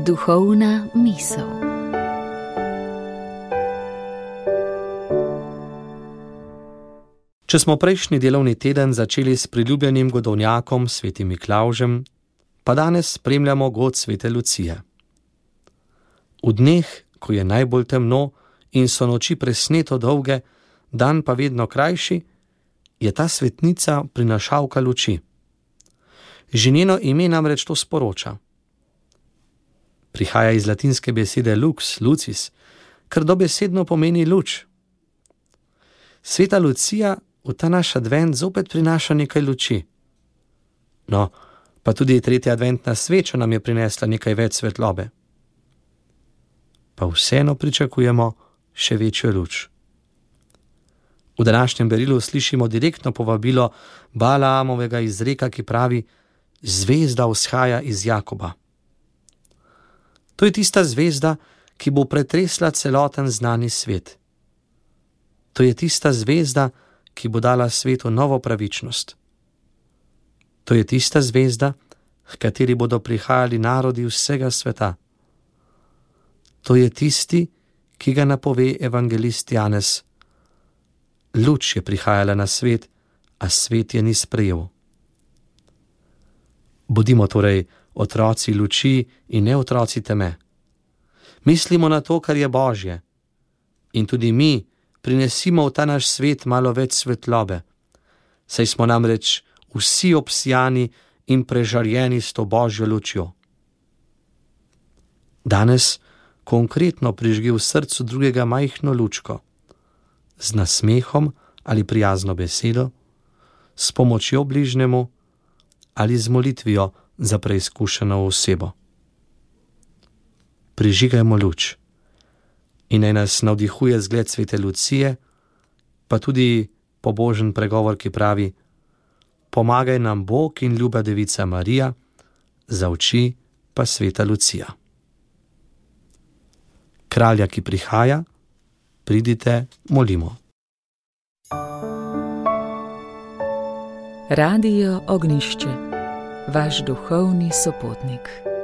Duhovna misel. Če smo prejšnji delovni teden začeli s priljubljenim godovnjakom svetim Miklavžem, pa danes spremljamo god svete Lucije. V dneh, ko je najbolj temno in so noči presneto dolge, dan pa vedno krajši, je ta svetnica prinašalka luči. Že njeno ime namreč to sporoča. Prihaja iz latinske besede lux, lucis, kar dobesedno pomeni luč. Sveta Lucija v ta naš advent zopet prinaša nekaj luči. No, pa tudi tretja adventna sveča nam je prinesla nekaj več svetlobe. Pa vseeno pričakujemo še večjo luč. V današnjem berilu slišimo direktno povabilo Balaamovega izreka, ki pravi: zvezda vzhaja iz Jakoba. To je tista zvezda, ki bo pretresla celoten znani svet. To je tista zvezda, ki bo dala svetu novo pravičnost. To je tista zvezda, h kateri bodo prihajali narodi vsega sveta. To je tisti, ki ga napove evangelist Janez. Luč je prihajala na svet, a svet je ni sprejel. Bodimo torej otroci luči in ne otroci teme. Mislimo na to, kar je Božje. In tudi mi prinesimo v ta naš svet malo več svetlobe, saj smo namreč vsi obsijani in prežarjeni s to Božjo lučjo. Danes konkretno prižgi v srcu drugega majhno lučko, z nasmehom ali prijazno besedo, s pomočjo bližnjemu ali z molitvijo za preizkušeno osebo. Prižigajmo luč in naj nas navdihuje zgled svete Lucije, pa tudi pobožen pregovor, ki pravi: pomagaj nam Bog in ljuba devica Marija, za oči pa sveta Lucija. Kralja, ki prihaja, pridite, molimo. Radio Ognjišče, vaš duhovni sopotnik.